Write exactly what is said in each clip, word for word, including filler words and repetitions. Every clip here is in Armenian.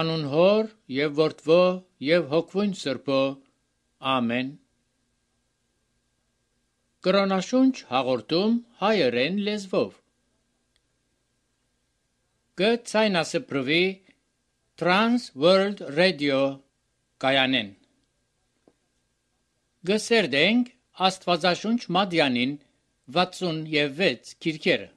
Անուն Հոր եւ Որդվո եւ Հոգվուն Սրբո, ամեն։ Կրոնաշունչ հաղորդում հայերեն լեզվով։ Կցայնասպրվի Trans World Radio կայանեն։ Գսերդենք Աստվածաշունչ Մադյանին վաթսունվեց քիրքերը։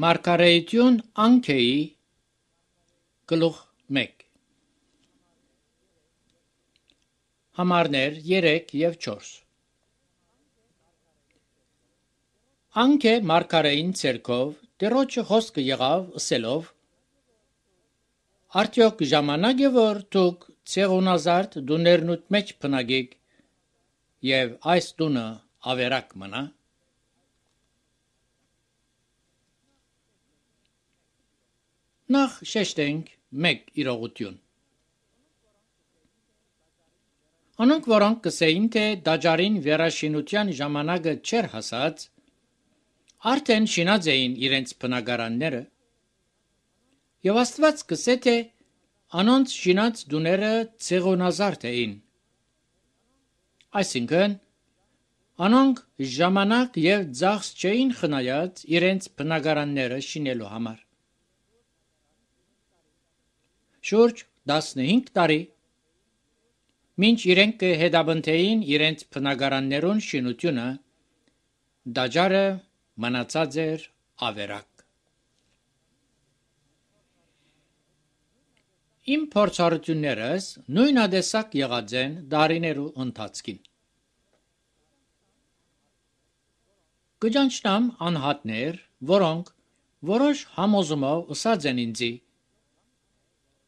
Մարգարեություն Անկեի գլուխ մեկ Համարներ երեք և չորս Անկե մարգարեին ցերկով Տերոջը խոսքը եղավ ըսելով Արդյոք ժամանակ է որ դուք ցեղունազարդ դուներնուտ մեջ փնագեք և այս տունը ավերակ մնա Նախ շեշտենք մեկ իրողություն Անոնք որոնք կսեին թե դաջարին վերաշինության ժամանակը չեր հասած արդեն շինած էին իրենց բնակարանները եւ Աստված կսե թե անոնց շինած դուները ցեղոնազարդ էին այսինքն անոնք ժամանակ եւ ծախս չէին խնայած իրենց բնակարանները շինելու համար շուրջ տասնհինգ տարի, մինչ իրենք կհետապնդեին իրենց բնակարաններուն շինությունը, տաճարը մնացած էր ավերակ։ Իմ փորձառություններս նույնատեսակ եղած են դարիներու ընթացքին։ Կճանչնամ անհատներ, որոնք որոշ համոզումով ըսած են ինձի,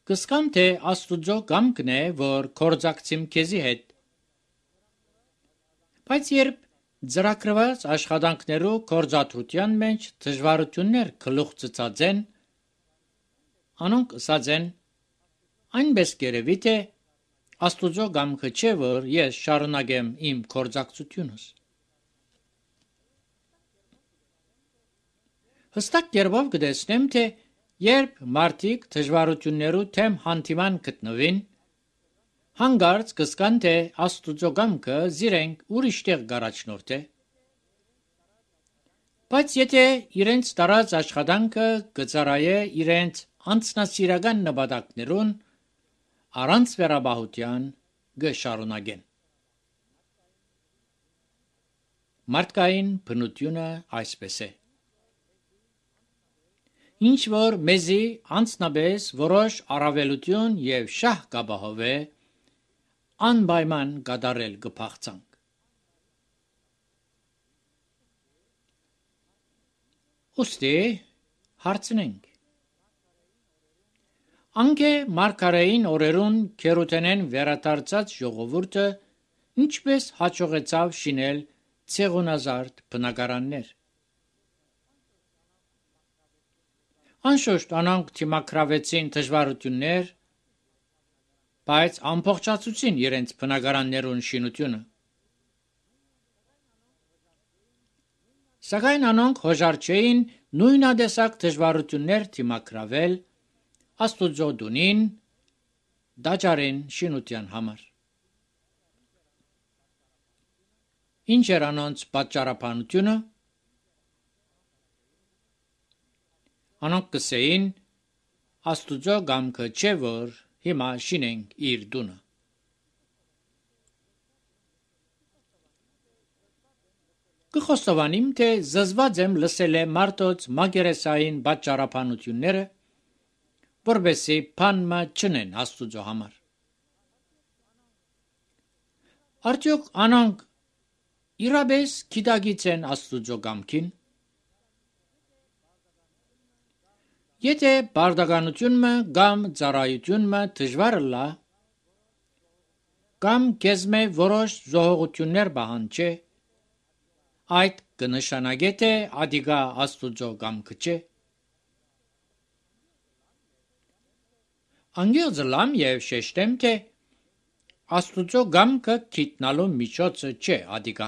կսկամ թե Աստուծո կամքն է, որ կորձակցիմ քեզի հետ։ Բայց երբ ծրագրված աշխատանքներու կորձաթրության մեջ դժվարություններ գլուխ ծծած են, անոնք ըսած են, այնպես կերևի թե Աստուծո կամքը չէ, որ ես շարունակեմ իմ կորձակցությունս։ Հստակ կերպով կտեսնեմ, թե երբ մարդիկ դժվարություններու թեմ հանդիման գտնվին, հանգարց կսկան, թե Աստուծո կամքը զիրենք ուրիշ տեղ կառաջնորդե։ Բայց եթե իրենց տարած աշխատանքը կծառայե իրենց անձնասիրական նպատակներուն, առանց վերաբահության կշարունակեն։ Մարդկային բնությունը այսպես է։ Ինչ որ մեզի անձնապես որոշ առավելություն եւ շահ կապահովե, անպայման կատարել կփախցանք։ Ուստի հարցնենք. Անկե մարգարեին օրերուն քերութենեն վերադարձած ժողովուրդը ինչպես հաջողեցավ շինել ցեղունազարդ բնակարաններ։ Անշուշտ անոնք թիմակրավեցին դժվարություններ, բայց ամբողջացուցին իրենց բնակարաններուն շինությունը։ Սակայն անոնք հոժար չէին նույնատեսակ դժվարություններ թիմակրավել Աստուծո տունին, տաճարին շինության համար։ Ինչ էր անոնց պատճառաբանությունը։ Անոնք կսեին, Աստուծո կամքը չէ, որ հիմա շինենք իր տունը։ Կխոստովանիմ, թե զզված եմ լսել է մարդոց մակերեսային պատճառաբանությունները, որպեսզի բանմը չնեն Աստուծո համար։ Արդյոք անոնք իրապես գիտակից են Աստուծո կամքին։ Եթե բարդականությունը կամ ծառայությունը դժվար լա, կամ կեզմե որոշ զոհողություններ պահանջե, այդ կնշանակե թե ադիգա Աստուծո կամքը չէ։ Անգեղծ լամ եւ շեշտեմ, թե Աստուծո կամքը գիտնալու միջոցը չէ ադիգա։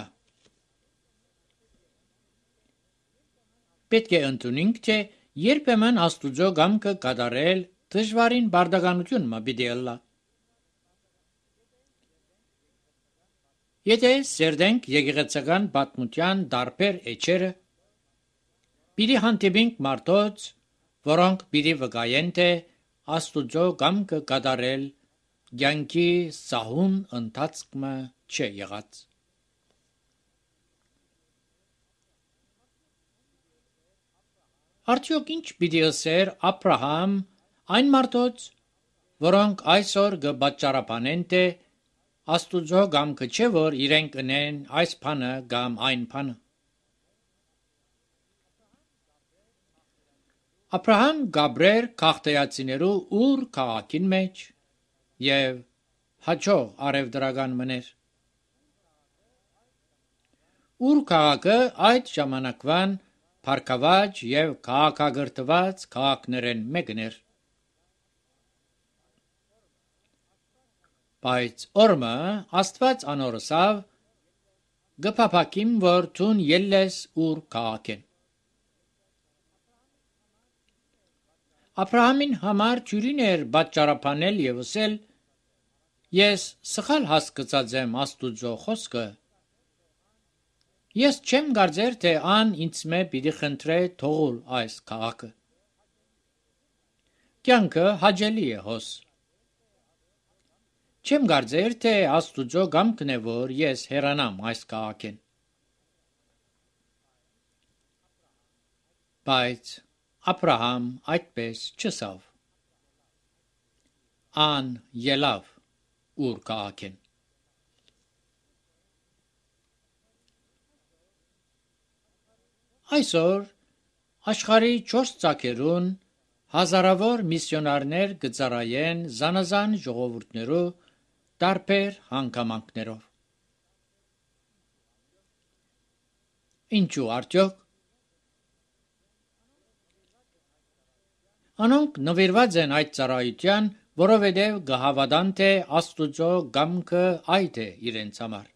Պետք է ընդունենք, թե երբեմն Աստուծո կամքը կատարել դժվարին բարդականություն մը պիտի ըլլա։ Եթե սերդենք եկեղեցական պատմության տարբեր էջերը, պիտի հանդիպենք մարդոց, որոնք պիտի վկայեն, թե Աստուծո կամքը կատարել կյանքի սահուն ընթացքը չէ եղած։ Արդյոք ինչ պիտի ըսեր Աբրահամ այն մարդոց, որոնք այսօր կպատճառաբանեն, թե Աստուծո կամքը չէ, որ իրենք ընեն այս բանը կամ այն բանը։ Աբրահամ գաբրեր քաղտեացիներու ուր քաղաքին մեջ եւ հաջող արևդրական մներ։ Ուր քաղաքը այդ ժամանակվան Փարքավաճ եւ քաղաքագրտված քաղաքներեն մեկն էր։ Բայց օրմը Աստված անորսավ գփափակիմ, որ թուն ելլես ուր քաղաքեն։ Աբրահամին համար ճյուրին էր պատճառաբանել եւ ասել. Ես սխալ հասկացած եմ Աստուծո խոսքը։ Ես չեմ կարծեր, թե ան ինձ մե պիտի խնդրե թողուլ այս քաղաքը։ Կյանքը հաճելի է հոս։ Չեմ կարծեր, թե Աստուծո կամքն է, որ ես հեռանամ այս քաղաքեն։ Բայց Աբրահամ այդպես չսավ։ Ան ելավ ուր քաղաքեն։ Այսօր աշխարհի չորս ծագերուն հազարավոր միսիոնարներ գծարայեն զանազան ժողովուրդներու տարբեր հանգամանքներով։ Ինչու արդյոք։ Անոնք նվիրված են այդ ծառայության, որովհետև գահավադան թե Աստուծո կամքը այդ է իրենց համար։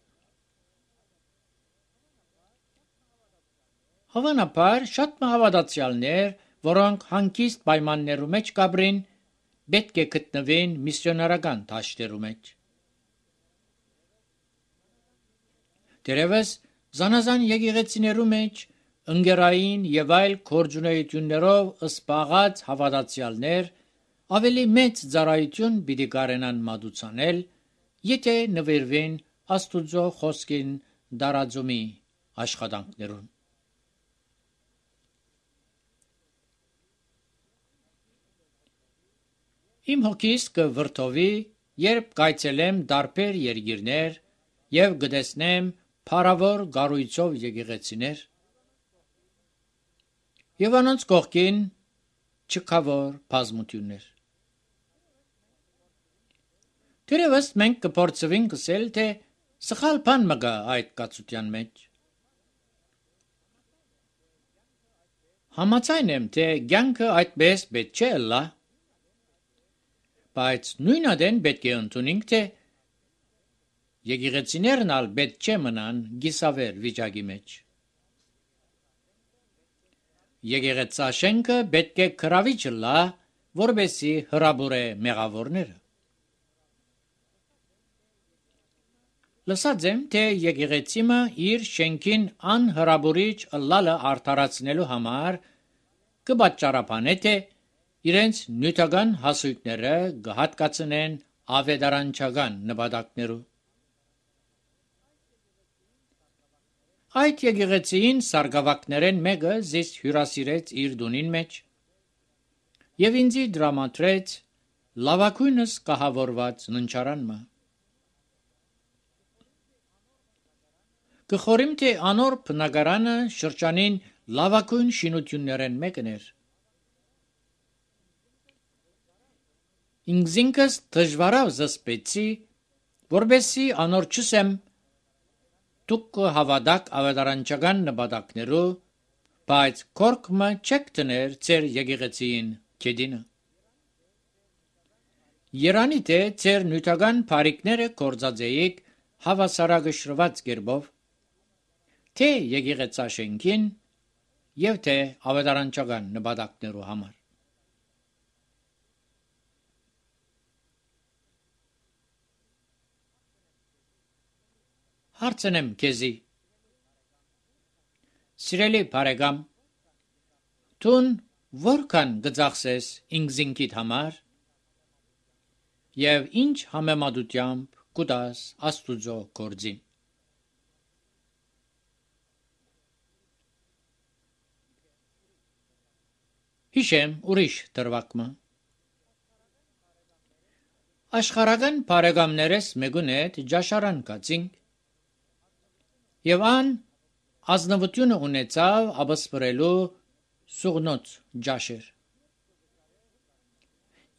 Հավանաբար շատ մահավատացյալներ, որոնք հանգիստ պայմաններու մեջ կաբրին, պետք է գտնվեն միսիոնարական դաշտերու մեջ։ Դերևս զանազան եկեղեցիներու մեջ ընկերային եւ այլ գործունեություններով սպաղած հավատացյալներ ավելի մեծ ծառայություն պիտի կարենան մատուցանել, եթե նվիրվեն Աստուծո խոսքին դարաձումի աշխատանքներուն։ Իմ հոգիս կվրդովի, երբ կայցելեմ տարբեր երկիրներ եւ կտեսնեմ փառավոր գառույցով եկեղեցիներ եւ անոնց կողքին չքավոր բազմություններ։ Դերևս մենք կփորձենք ասել, թե սխալ բան մը կա այդ կացության մեջ։ Համաձայն եմ, թե կյանքը այդպես պետք չէ լա, բայց նույն ադեն պետք է ընդունենք, թե եկեղեցիներն ալ պետք չէ մնան գիսավեր վիճակի մեջ։ Եկեղեցաշենքը պետք է քրավիչ լա, որպեսզի հրաբուրե մեղավորները։ Լսած եմ, թե եկեղեցիմը իր շենքին անհրաբուրիչ ըլլալը արդարացնելու համար կպատճառաբանե, թե իրենց նյութական հասույթները կհատկացնեն ավետարանչական նպատակներու։ Այդ եկեղեցին սարգսակներեն մեկը զիս հյուրասիրեց իր դունին մեջ եւ ինձի դրամատրեց լավակույնս կահավորված ննչարանմը։ Կխորիմ, թե անոր բնակարանը շրջանին լավակույն շինություններեն մեկն էր։ Ինքզինքս դժվարավ զսպեցի, որբեսի անոր չսեմ դուք հավատակ ավետարանչական նպատակներու, բայց կորկմը չեք տներ ձեր եկեղեցին կեդինը։ Երանի թե ձեր նյութական բարիկները կործածեիք հավասարակշռված կերպով, թե եկեղեցաշենքին եւ թե ավետարանչական նպատակներու համար։ Հարցնեմ քեզի, սիրելի բարեկամ, տուն որքան գծախսես ինքզինքիդ համար եւ ինչ համեմատությամբ կուտաս Աստուծո գործին։ Հիշեմ ուրիշ դրվակմը։ Աշխարհական բարեկամներս մեկուն հետ ջաշարան կացինք եւ ան ազնվությունը ունեցավ աբսպրելու սուղնոց ջաշեր։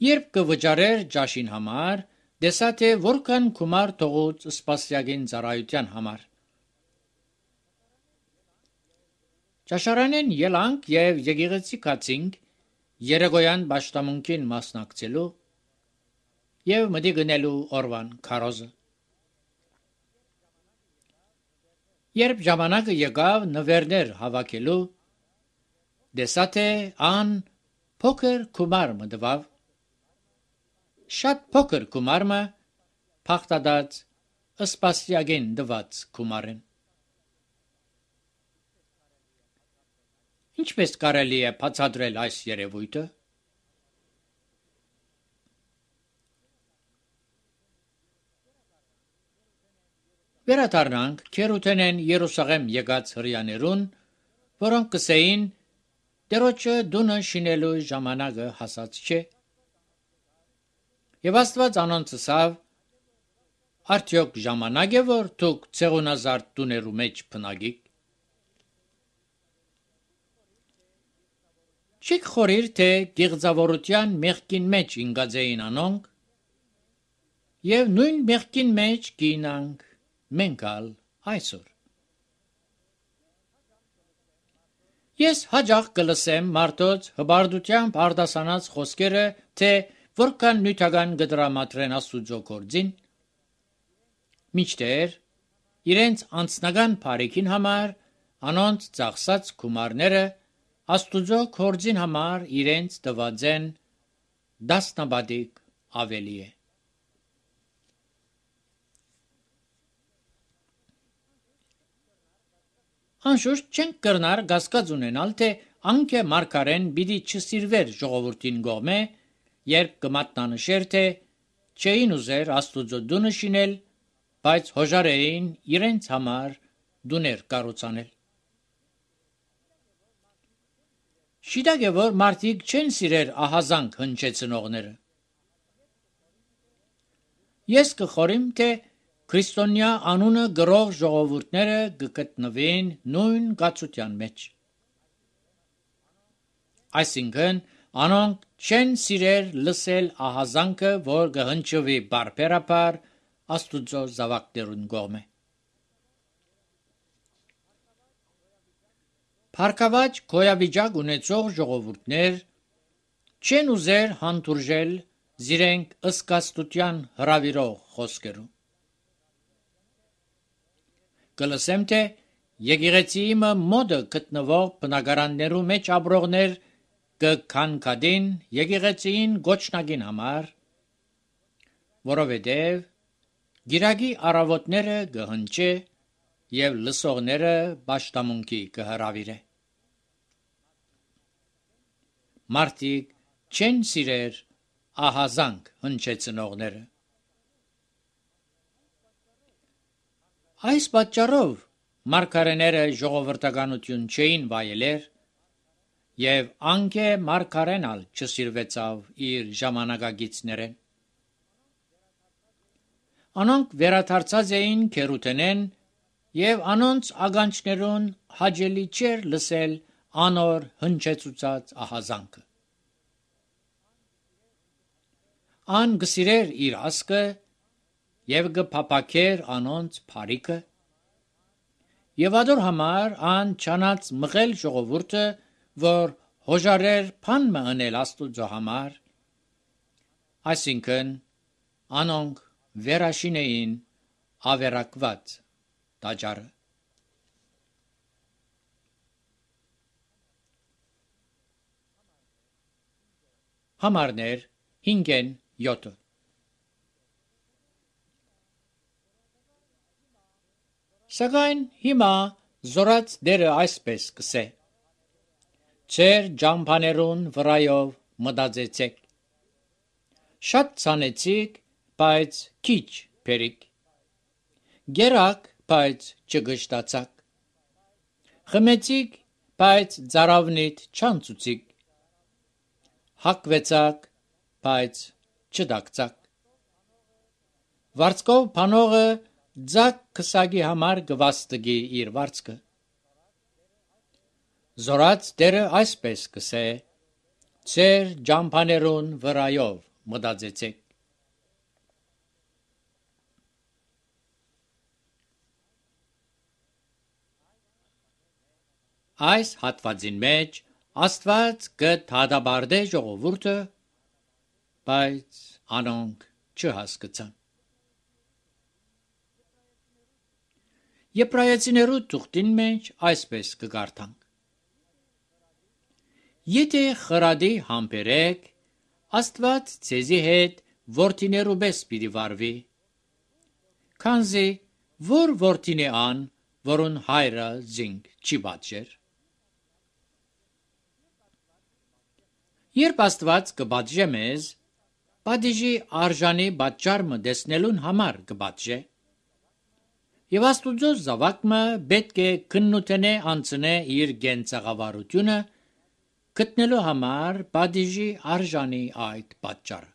Երբ կվճարեր ջաշին համար, դեսա թե որքան գումար թողուց սպասյակին ծառայության համար։ Ջաշարանեն ելանք եւ եկեղեցի կացինք երեկոյան պաշտամունքին մասնակցելու եւ մտի գնելու օրվան քարոզը։ Երբ ժամանակը եկավ նվերներ հավաքելու, դեսա թե ան փոքր գումար մտավ, շատ փոքր գումարը փախտած սպասյակին դված գումարեն։ Ինչպես կարելի է բացատրել այս երևույթը։ վերադառնանք քերութենեն Երուսաղեմ եկած հրյաներուն, որոնք կսեին Տերոջը դունը շինելու ժամանակը հասած չէ։ Եվ Աստված անոնց ասավ. արդյոք ժամանակ է, որ դուք ցեղունազարդ տուներու մեջ փնագիք։ Չեք խորիր, թե գեղձավորության մեղքին մեջ ինգած էին անոնք, եւ նույն մեղքին մեջ գինանք մենք ալ այսօր։ Ես հաջող կլսեմ մարդոց հբարդությամբ արդասանած խոսքերը, թե որքան նյութական գդրամատրեն Աստուծո գործին, մինչդեռ իրենց անձնական բարիքին համար անոնց ծախսած գումարները Աստուծո գործին համար իրենց տված են դասնաբադիկ ավելի է։ Անշուշտ չենք կրնար գասկած ունենալ, թե անքը մարգարեն պիտի չսիրվեր ժողովրդին գոմե, երբ կմատնանշեր, թե չէին ուզեր Աստուծո դունը շինել, բայց հոժարեին իրենց համար դուներ կառուցանել։ Շիտակ է, որ մարդիկ չեն սիրեր ահազանգ հնչեցնողները։ Ես կխորիմ, թե քրիստոնյա անունը գրող ժողովուրդները կգտնվեն նույն գացության մեջ։ Այսինքն, անոնք չեն սիրեր լսել ահազանգը, որ կհնչվի բարբերաբար Աստուծո զավակներուն կողմէ։ Փառքաված գոյավիճակ ունեցող ժողովուրդներ չեն ուզեր հանդուրժել զիրենք ըսկաստության հրավիրող խոսքերու։ Կլսեմ, թե եկեղեցիի մոդը գտնվող բնակարաններու մեջ ապրողներ կքանքադին եկեղեցիին գոչնակին համար, որովհետև գիրագի առավոտները կհնչե և լսողները պաշտամունքի կհրավիրե։ Մարդիկ չեն սիրեր ահազանգ հնչեցնողները։ Այս պատճառով մարգարեները ժողովրդականություն չէին վայելեր, և անքե մարգարեն ալ չսիրվեցավ իր ժամանակագիցներեն։ Անոնք վերադարձած էին քերութենեն, և անոնց ականջներուն հաճելի չէր լսել անոր հնչեցուցած ահազանգը։ Ան կսիրեր իր ասկը և կփափաքեր անոնց բարիքը, և ադոր համար ան չանած մղել ժողովուրդը, որ հոժարեր բան մը ընել Աստուծո համար, այսինքն անոնք վերաշինեին ավերակված տաճարը։ Համարներ հինգեն յոթը Սակայն հիմա զորած դերը այսպես կսե. Ձեր ջամփաներուն վրայով մտածեցեք, շատ ցանեցիք, բայց քիչ բերիք, գերակ, բայց չգշտացաք, խմեցիք, բայց ծարավնիդ չանցուցիք, հակվեցաք, բայց չդակցաք, վարձկով փանողը ձակ քսակի համար գվաստգի իր վարձքը։ Զորած դերը այսպես կսե. Ձեր ջամփաներուն վրայով մտածեցեք։ Այս հատվածին մեջ Աստված կդադարեցե ժողովուրդը, բայց անոնք չհասկացան։ Եբրայեցիներու թուղթին մեջ այսպես կգարթանք. Եթե խրադի համբերեք, Աստված ձեզի հետ որդիներու պես պիտի վարվի, քանզի որ որդին է ան, որուն հայրը զինք չի պատժեր։ Երբ Աստված կպատժե մեզ, պատիժի արժանի պատճառը տեսնելուն համար կպատժե, Եվ Աստուծո զավակը պետք է քննութենե անցնե իր գենցաղավարությունը գտնելու համար բադիժի արժանի այդ պատճառը։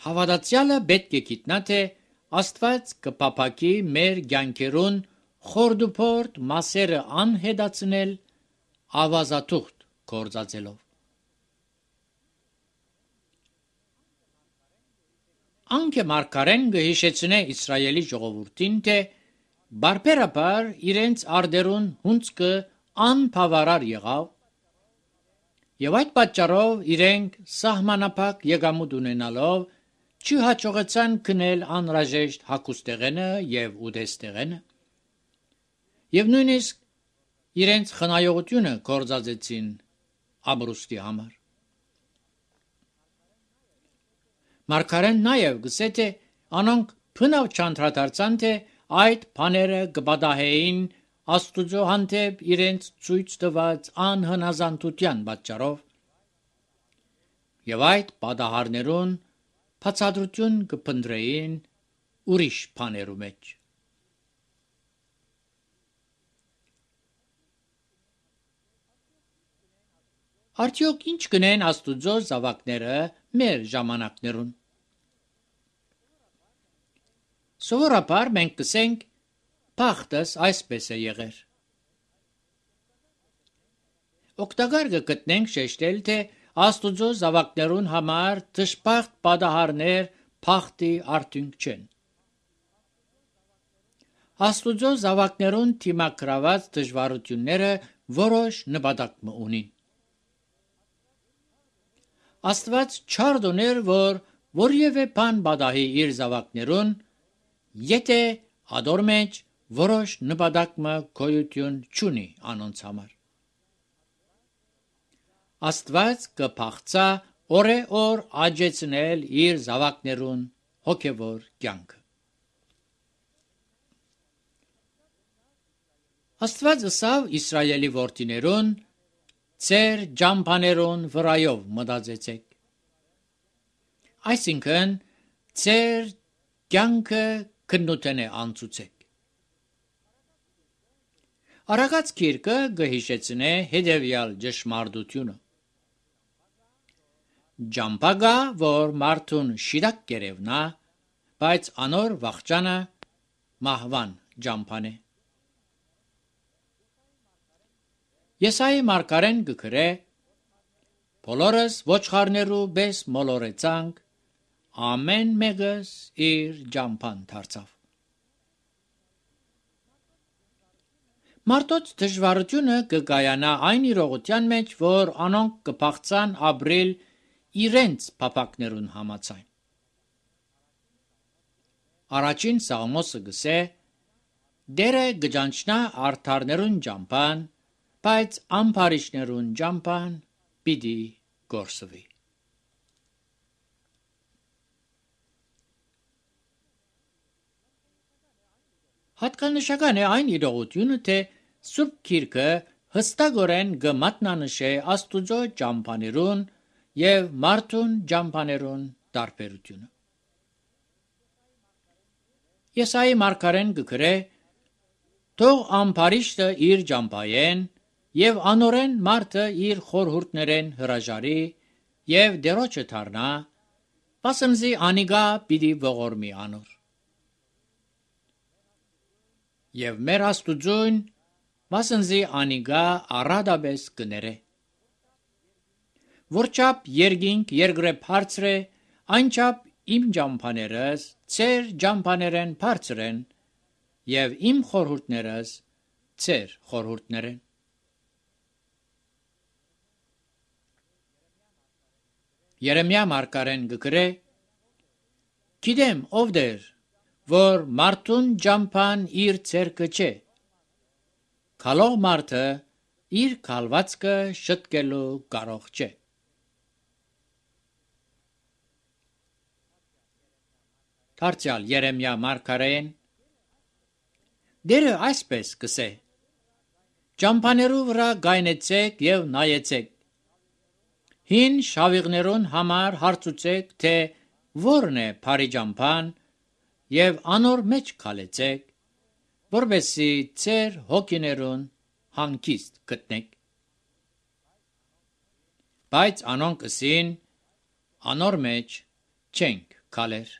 Հավատացյալը պետք է գիտնա թե Աստված կփափակի մեր կյանքերուն խորդուփորդ մասերը անհետացնել ավազաթուղթ կործածելով։ Անքը մարգարեն գհիշեցնե Իսրայելի ժողովուրդին թե բարբերաբար իրենց արդերուն հունցքը անբավարար եղավ եւ այդ պատճառով իրենք սահմանափակ եկամուտ ունենալով չհաջողեցան քնել անհրաժեշտ հագուստեղենը եւ ուտեստեղենը եւ նույնիսկ իրենց խնայողությունը կործածեցին ամրուստի համար։ Մարգարեն նաև գսե թե անոնք փնավ չանդրադարձան թե այդ բաները կպատահեին Աստուծո հանդեպ իրենց ցույց տված անհնազանդության պատճառով եւ այդ պատահարներուն բացատրություն կփնտրեին ուրիշ բաներու մեջ։ Արդյոք ինչ կնեն Աստուծո զավակները մեր ժամանակներուն։ Սովորաբար մենք կսենք բախտս այսպես է եղեր։ Օգտակար կգտնենք շեշտել թե Աստուծո զավակներուն համար դժբախտ պատահարներ բախտի արդյունք չեն։ Աստուծո զավակներուն թիմակրաված դժվարությունները որոշ նպատակ ունին։ Աստված չարդ ուներ, որ որևէ բան պատահի իր զավակներուն, եթե ադոր մեջ որոշ նպատակը գոյություն չունի անոնց համար։ Աստված կփախցա օրե-օր աճեցնել իր զավակներուն հոգևոր կյանքը։ Աստված ըսավ Իսրայելի որդիներուն Ձեր ջամփաներուն վրայով մտածեցեք։ Այսինքն ձեր կյանքը քննութենե անցուցեք։ Արագած գիրքը գհիշեցնե հետևյալ ճշմարտությունը։ Ջամփագա, որ մարդուն շիրակ կերևնա, բայց անոր վախճանը մահվան ջամփան է։ Եսայի մարգարեն գկրե բոլորս ոչխարներու բես մոլորեցանք, ամեն մեկս իր ջամփան դարձավ։ Մարդոց դժվարությունը կկայանա այն իրողության մեջ, որ անոնք կփախցան ապրել իրենց փափակներուն համաձայն։ Առաջին Սաղմոսը գսե. Դերը գճանչնա արդարներուն ջամփան, բայց ամբարիշներուն ջամփան պիտի գործվի։ Հատկանշական է այն իրողությունը, թե Սուրբ Գիրքը հստակորեն կմատնանշե Աստուծո ջամփաներուն եւ մարդուն ջամփաներուն տարբերությունը։ Եսայի մարգարեն գկրե. Թող ամբարիշտը իր ջամփայեն եւ անորեն մարդը իր խորհուրդներեն հրաժարի եւ դերոջը դառնա, պասնզի անիգա պիտի ողորմի անոր։ Եվ մեր Աստուծուն պասնզի անիգա առադաբես կներե։ Որչափ երկինք երկրե բարձր է, այնչափ իմ ջամփաներս ձեր ջամփաներեն բարձր են եւ իմ խորհուրդներս ձեր խորհուրդներեն։ Երեմիա մարգարեն գկրե. Գիտեմ ով դեր, որ մարդուն ջամփան իր ցերկը չէ, քալող մարդը իր քալվածքը շտկելու կարող չէ։ Դարձյալ Երեմիա մարգարեն դերը այսպես կսե. Ջամփաներու վրա գայնեցեք եւ նայեցեք, հին շավիղներուն համար հարցուցեք, թե որն է բարի ջամփան եւ անոր մեջ քալեցեք, որբեսի ծեր հոգիներուն հանգիստ գտնեք։ Բայց անոնք ըսին, անոր մեջ չենք քալեր։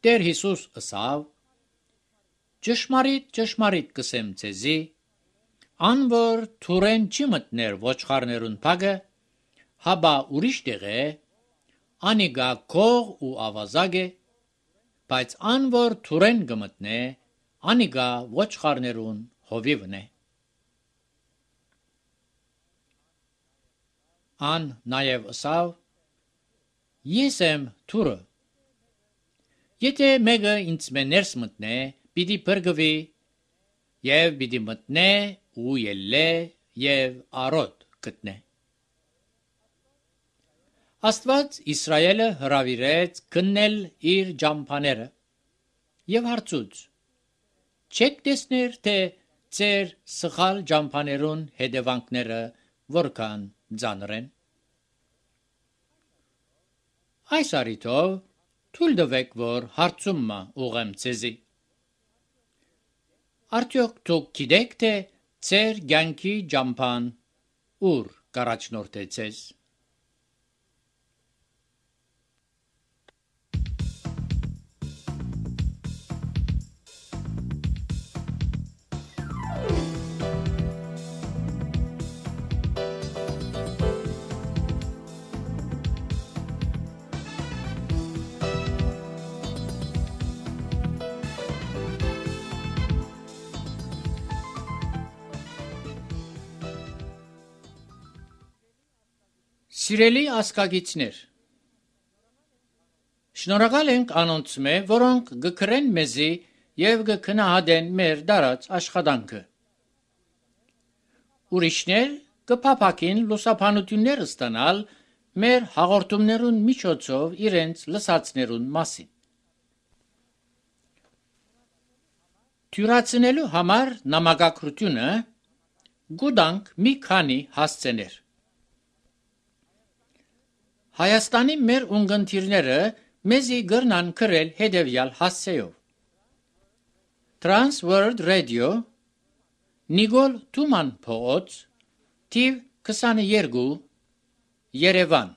Տեր Հիսուս ըսավ. Ճշմարիտ, ճշմարիտ կսեմ ձեզի, ան որ թուրեն չի մտներ ոչխարներուն փագը, հաբա ուրիշ տեղ է, անիգա կող ու ավազագ է, բայց ան որ թուրեն գմտնե, անիգա ոչխարներուն հովիվն է։ Ան նաև ըսավ. Ես եմ թուրը։ Եթե մեկը ինձ մե ներս մտնե, պիտի փրկվի, եւ պիտի մտնե ու ելլե եւ արոտ գտնե։ Աստված Իսրայելը հրավիրեց գնել իր ջամփաները եւ հարցուց. Չեք տեսներ, թե ծեր սխալ ջամփաներուն հետևանքները որքան ծանր են։ Այս առիթով թույլ տվեք, որ հարցումը ուղեմ ձեզի։ Արդյոք դուք գիտեք, թե ծեր կյանքի ջամփան ուր կառաջնորդե ձեզ։ Սիրելի ասկագիցներ, շնորհակալ ենք անոնց մե, որոնք գկրեն մեզի եւ գքնահատեն մեր դարած աշխատանքը։ Ուրիշներ կփափակին լուսաբանություններ ստանալ մեր հաղորդումներուն միջոցով իրենց լսածներուն մասին։ Թյուրացնելու համար նամակագրությունը գուտանք մի քանի հասցեներ։ Հայաստանի մեր ունգընտիրները մեզի գրնան գրել հետևյալ հասցեով. Trans World Radio, Նիգոլ Թուման փողոց, թիվ քսաներկու, Երևան։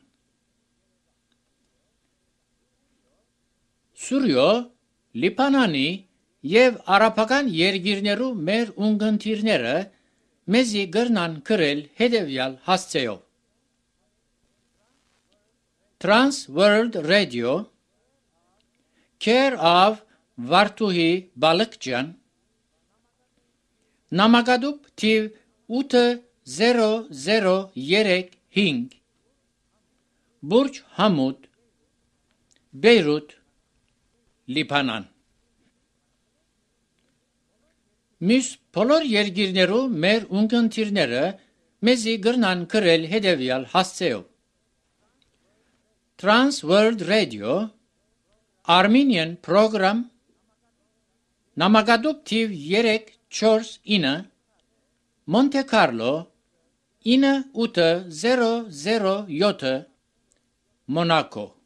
Սուրյո, Լիբանանի եւ արաբական երկիրներու մեր ունգընտիրները մեզի գրնան գրել հետևյալ հասցեով. Trans World Radio, Care of Վարդուհի Բալկջյան, Նամակադուբ թիվ ութ զերո զերո երեք հինգ, Բուրջ Համուդ, Բեյրութ, Լիբանան։ Մյուս բոլոր երկիրներու մեր ունգընտիրները մեզի գրնան գրել հետևյալ հասցեով. Trans World Radio, Armenian Program, Նամակադուբ թիվ երեք չորս ինը, Monte Carlo, ինը ութ զերո զերո յոթ, Monaco։